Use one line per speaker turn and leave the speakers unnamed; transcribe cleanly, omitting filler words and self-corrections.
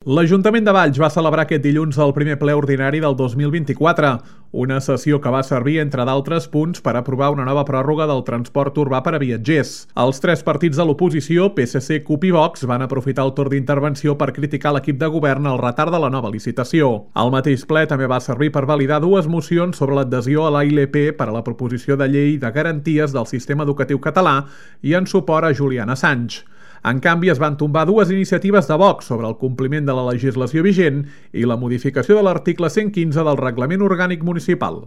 L'Ajuntament de Valls va celebrar aquest dilluns el primer ple ordinari del 2024, una sessió que va servir, entre d'altres punts, per aprovar una nova pròrroga del transport urbà per a viatgers. Els tres partits de l'oposició, PSC, CUP i Vox, van aprofitar el torn d'intervenció per criticar l'equip de govern el retard de la nova licitació. El mateix ple també va servir per validar dues mocions sobre l'adhesió a la ILP per a la proposició de llei de garanties del sistema educatiu català i en suport a Julian Assange. En canvi, es van tombar dues iniciatives de Vox sobre el compliment de la legislació vigent i la modificació de l'article 115 del Reglament Orgànic Municipal.